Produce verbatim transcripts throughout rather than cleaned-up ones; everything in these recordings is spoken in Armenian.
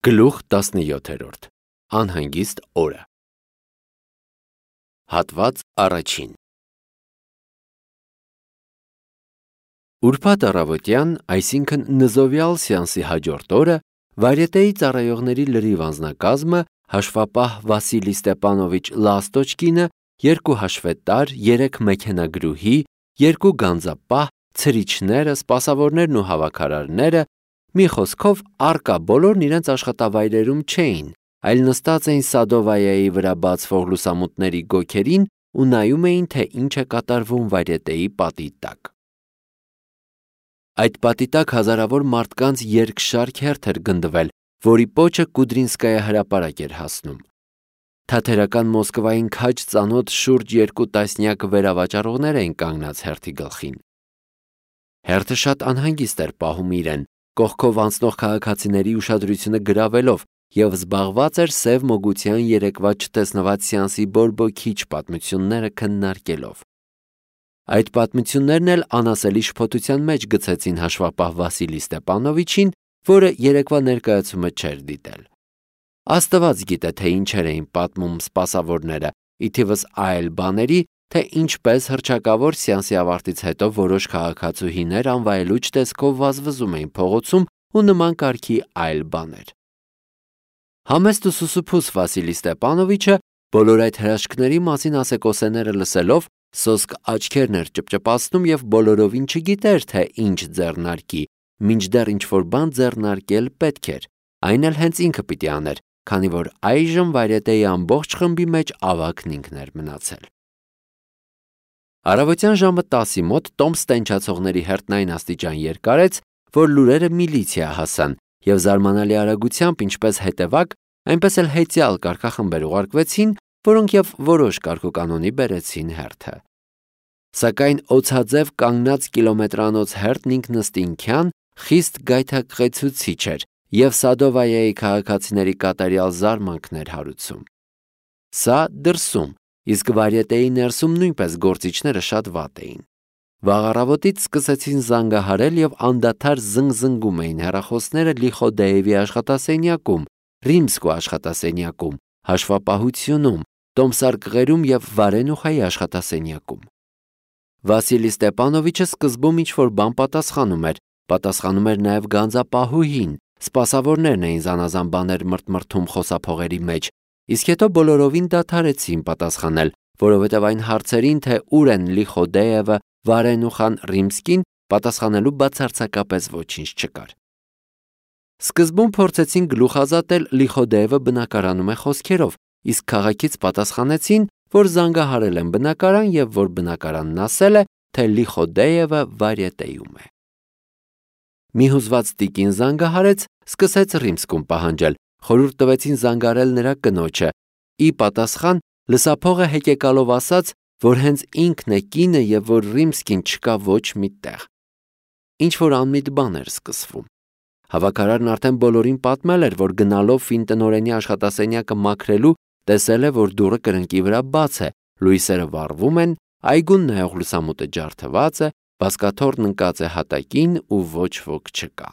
Գլուխ տասնյոթերորդ Անհանգիստ օրը Հատված առաջին Ուրբաթ առավոտյան, այսինքն նզովյալ սեանսի հաջորդ օրը, Վարյետեի ծառայողների լրիվ անձնակազմը հաշվապահ Վասիլի Ստեպանովիչ Լաստոչկինը, երկու հաշվետար, երեք մեքենագրուհի, երկու գանձապահ, ցրիչները, սպասավորներն ու հավաքարարները, մի խոսքով առկա բոլորն իրենց աշխատավայրերում չէին, այլ նստած էին Սադովայայի վրա բացվող լուսամուտների գոգերին ու նայում էին, թե ինչ է կատարվում Վարյետեի պատի տակ։ Այդ պատի տակ հազարավոր մարդկանց երկշարք հերթ էր գնդվել, որի պոչը Կուդրինսկայա հրապարակ էր հասնում։ Թաթերական Մոսկվային քաջ ծանոթ շուրջ երկու տասնյակ վերավաճառողներ էին կանգնած հերթի գլխին։ Հերթը շատ անհանգիստ էր պահում իրեն, կողքով անցնող քաղաքացիների ուշադրությունը գրավելով և զբաղված էր սև մոգության երեկվա չտեսնված սեանսի բորբոքիչ պատմությունները քննարկելով։ Այդ պատմություններն էլ անասելի շփոթության մեջ գցեցին հաշվապահ Վասիլի Ստեպանովիչին, որը երեկվա ներկայացումը չէր դիտել։ Աստված գիտե, թե ինչեր էին պատմում սպասավորները, ի թիվս այլ բաների, թե ինչպես հռչակավոր սեանսի ավարտից հետո որոշ քաղաքացուհիներ անվայելուչ տեսքով վազվզում էին փողոցում ու նման կարգի այլ բաներ։ Համեստ ու սուսուփուս Վասիլի Ստեպանովիչը բոլոր այդ հրաշքների մասին ասեկոսեները լսելով սոսկ աչքերն էր ճպճպացնում և բոլորովին չգիտեր, թե ինչ ձեռնարկի, մինչդեռ ինչ-որ բան ձեռնարկել պետք էր, այն էլ հենց ինքը պիտի աներ, քանի որ այժմ Վարյետեի ամբողջ խմբի մեջ ավագն ինքն էր մնացել։ Առավոտյան ժամը տասի մոտ տոմս տենչացողների հերթն այն աստիճան երկարեց, որ լուրերը միլիցիա հասան և զարմանալի արագությամբ ինչպես հետևակ, այնպես էլ հետյալ կարգախմբեր ուղարկվեցին, որոնք և որոշ կարգուկանոնի բերեցին հերթը։ Սակայն օձաձև կանգնած կիլոմետրանոց հերթն ինքնըստինքյան խիստ գայթակղեցուցիչ էր և Սադովայայի քաղաքացիների կատարյալ զարմանքն էր հարուցում։ Սա դրսում, իսկ Վարյետեի ներսում նույնպես գործիչները շատ վատ էին։ Վաղ առավոտից սկսեցին զանգահարել և անդադար զնգզնգում էին հեռախոսները Լիխոդեևի աշխատասենյակում, Ռիմսկու աշխատասենյակում, հաշվապահությունում, տոմսարկղերում և Վարենուխայի աշխատասենյակում։ Վասիլի Ստեպանովիչը սկզբում ինչ-որ բան պատասխանում էր, պատասխանում էր նաև գանձապահուհին, սպասավորներն էին զանազան բաներ մրթմրթում խոսափողերի մեջ, իսկ հետո բոլորովին դադարեցին պատասխանել, որովհետև այն հարցերին, թե ուր են Լիխոդեևը, Վարենուխան, Ռիմսկին, պատասխանելու բացարձակապես ոչինչ չկար։ Սկզբում փորձեցին գլուխազատել Լիխոդեևը բնակարանում է խոսքերով, իսկ քաղաքից պատասխանեցին, որ զանգահարել են բնակարան և որ բնակարանն ասել է, թե Լիխոդեևը Վարյետեում է։ Մի հուզված տիկին զանգահարեց, սկսեց Ռիմսկում պահանջել, խորհուրդ տվեցին զանգարել նրա կնոջը, ի պատասխան լսափողը հեկեկալով ասաց, որ հենց ինքն է կինը և որ Ռիմսկին չկա ոչ մի տեղ։ Ինչ-որ անմիտ բան էր սկսվում։ Հավաքարարն արդեն բոլորին պատմել էր, որ գնալով ֆինտնօրենի աշխատասենյակը մաքրելու, տեսել է, որ դուռը կրկնակի վրա բաց է, լույսերը վառվում են, այգուն նայող լուսամուտը ջարդված է, բազկաթոռն ընկած է հատակին ու ոչ ոք չկա։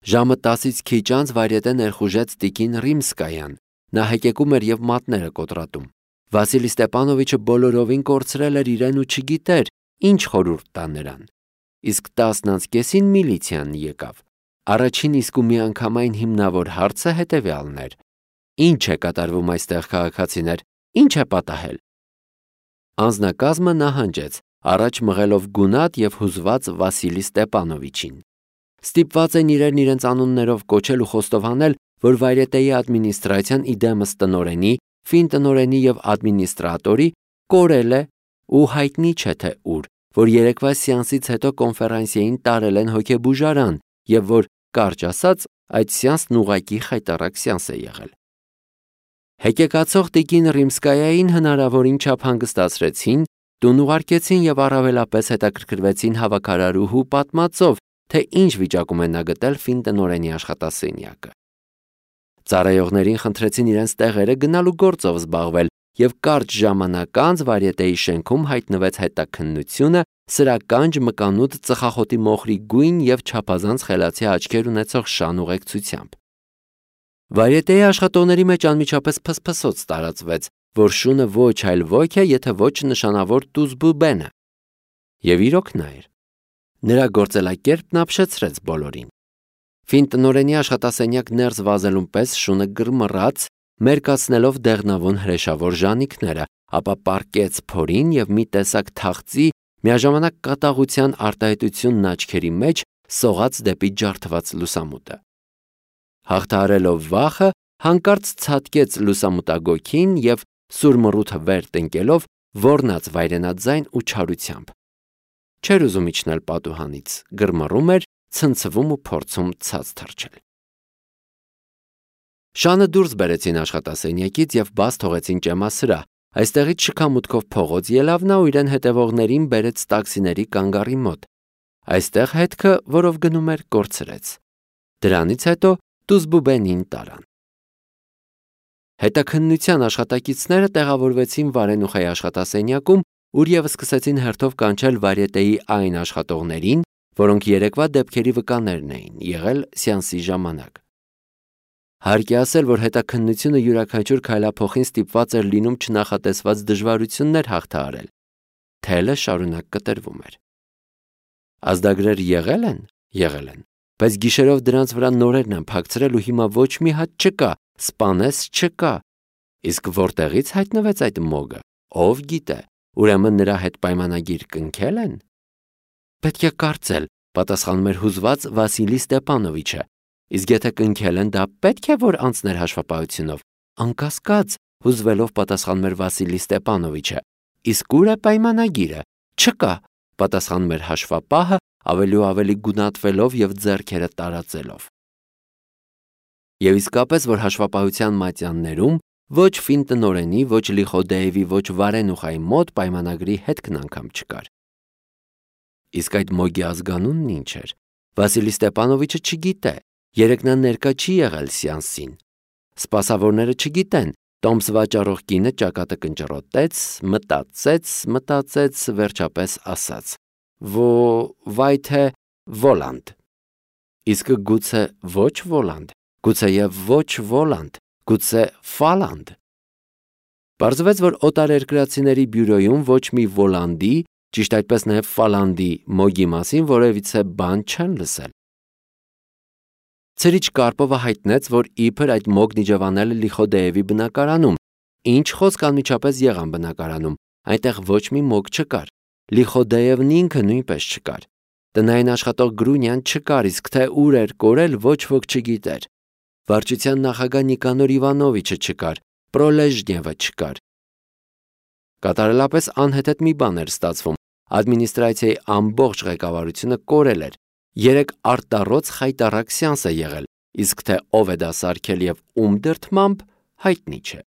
Ժամը տասից քիչ անց Վարյետե ներխուժեց տիկին Ռիմսկայան, նա հեկեկում էր և մատները կոտրատում։ Վասիլի Ստեպանովիչը բոլորովին կորցրել էր իրեն ու չգիտեր, ինչ խորհուրդ տա նրան։ Իսկ տասն անց կեսին միլիցիան եկավ։ Առաջին իսկ ու միանգամայն հիմնավոր հարցը հետևյալն էր. Ինչ է կատարվում այստեղ, քաղաքացիներ, ինչ է պատահել։ Անձնակազմը նահանջեց, առաջ մղելով գունատ և հուզված Վասիլի Ստեպանովիչին։ Ստիպված են իրեն իրենց անուններով կոչել ու խոստովանել, որ Վարյետեի ադմինիստրացիան իդեմս տնօրենի, ֆինտնօրենի և ադմինիստրատորի կորել է ու հայտնի չէ թե ուր, որ երեկվա սեանսից հետո կոնֆերանսիային տարել են հոգեբուժարան և որ, կարճ ասած, այդ սեանսն ուղղակի խայտառակ սեանս է եղել։ Հեկեկացող տիկին Ռիմսկայային հնարավորին չափ հանգստացրեցին, տուն ուղարկեցին և առավելապես հետաքրքրվեցին հավաքարարուհու պատմածով, թե ինչ վիճակում է նա գտել ֆինտնօրենի աշխատասենյակը։ Ծառայողներին խնդրեցին իրենց տեղերը գնալու գործով զբաղվել և կարճ ժամանակ անց Վարյետեի շենքում հայտնվեց հետաքննությունը սրականջ մկանուտ ծխախոտի մոխրի գույն և չափազանց խելացի աչքեր ունեցող շան ուղեկցությամբ։ Վարիետեի աշխատողների մեջ անմիջապես փսփսոց տարածվեց, որ շունը ոչ այլ ոք է, եթե ոչ նշանավոր Տուզբուբենը։ Եվ իրոք նա էր։ Նրա գործելակերպն ապշեցրեց բոլորին։ Ֆին տնօրենի աշխատասենյակ ներս վազելուն պես շունը գրմռաց, մերկացնելով դեղնավուն հրեշավոր ժանիքները, ապա պառկեց փորին եւ մի տեսակ թախծի միաժամանակ կատաղության արտահայտությունն աչքերի մեջ սողաց դեպի ջարդված լուսամուտը։ Հաղթահարելով վախը, հանկարծ ցատկեց լուսամուտագոգին եւ սուրմռութը վեր տնկելով ոռնաց վայրենաձայն ու չարությամբ։ Չէր ուզում իջնել պատուհանից, գրմռում էր, ցնցվում ու փորձում ցած թռչել։ Շանը դուրս բերեցին աշխատասենյակից եւ բաց թողեցին ճեմասրահ, այստեղից շքամուտքով փողոց ելավ նա ու իրեն հետևողներին բերեց տաքսիների կանգառի մոտ։ Այստեղ հետքը, որով գնում էր, կորցրեց։ Դրանից հետո Տուզբուբենին տարան։ Հետաքննության աշխատակիցները տեղավորվեցին Վարենուխայի աշխատասենյակում, ուր եւ սկսեցին հերթով կանչել Վարիետեի այն աշխատողներին, որոնք երեկվա դեպքերի վկաներն էին եղել սեանսի ժամանակ։ Հարկ է ասել, որ հետաքննությունը յուրաքանչյուր քայլափոխին ստիպված էր լինում չնախատեսված դժվարություններ հաղթահարել։ Թելը շարունակ կտրվում էր։ Ազդագրեր եղել են, եղել են, բայց գիշերով դրանց վրա նորերն են փակցրել ու հիմա ոչ մի հատ չկա, սպանես չկա։ Իսկ որտեղից հայտնվեց այդ մոգը, ով գիտե, ուրեմն նրա հետ պայմանագիր կնքել են։ Պետք է կարծել, պատասխանում էր հուզված Վասիլի Ստեպանովիչը։ Իսկ եթե կնքել են, դա պետք է որ անցներ հաշվապահությունով։ Անկասկած, հուզվելով պատասխանում էր Վասիլի Ստեպանովիչը։ Իսկ ուր է պայմանագիրը։ Չկա, պատասխանում էր հաշվապահը, ավելի ու ավելի գունատվելով եւ ձեռքերը տարածելով։ Եվ իսկապես, որ հաշվապահության մատյաններում ոչ Ֆին տնօրենի, ոչ Լիխոդեևի, ոչ Վարենուխայի մոտ պայմանագրի հետքն անգամ չկար։ Իսկ այդ մոգի ազգանունն ինչ էր։ Վասիլի Ստեպանովիչը չգիտե։ Երեկ նա ներկա չի եղել սեանսին։ Սպասավորները չգիտեն։ Տոմս վաճառող կինը ճակատը կնճռոտեց, մտածեց, մտածեց, վերջապես ասաց. Ո վայ թե Վոլանդ։ Իսկ գուցե ոչ Վոլանդ, գուցե եւ ոչ Վոլանդ, գուցե Ֆալանդ։ Պարզվեց, որ օտարերկրացիների բյուրոյում ոչ մի Վոլանդի, ճիշտ այդպես նաեւ Ֆալանդի մոգի մասին որևիցե բան չեն լսել։ Ցերիչ Կարպովը հայտնեց, որ իբր այդ մոգն իջևանել է Լիխոդեևի բնակարանում։ Ինչ խոսք անմիջապես եղան բնակարանում, այնտեղ ոչ մի մոգ չկար։ Լիխոդեևն ինքը նույնպես չկար։ Տնային աշխատող Գրունյան չկար, իսկ թե ուր էր կորել, ոչ ոք չգիտեր։ Վարչության նախագահ Նիկանոր Իվանովիչը չկար, Պրոլեժնևը չկար։ Կատարելապես անհեթեթ մի բան էր ստացվում։ Ադմինիստրացիայի ամբողջ ղեկավարությունը կորել էր։ Երեք արտառոց խայտառակ սեանս է եղել, իսկ թե ով է դա սարքել եւ ում դրդմամբ հայտնի չէ։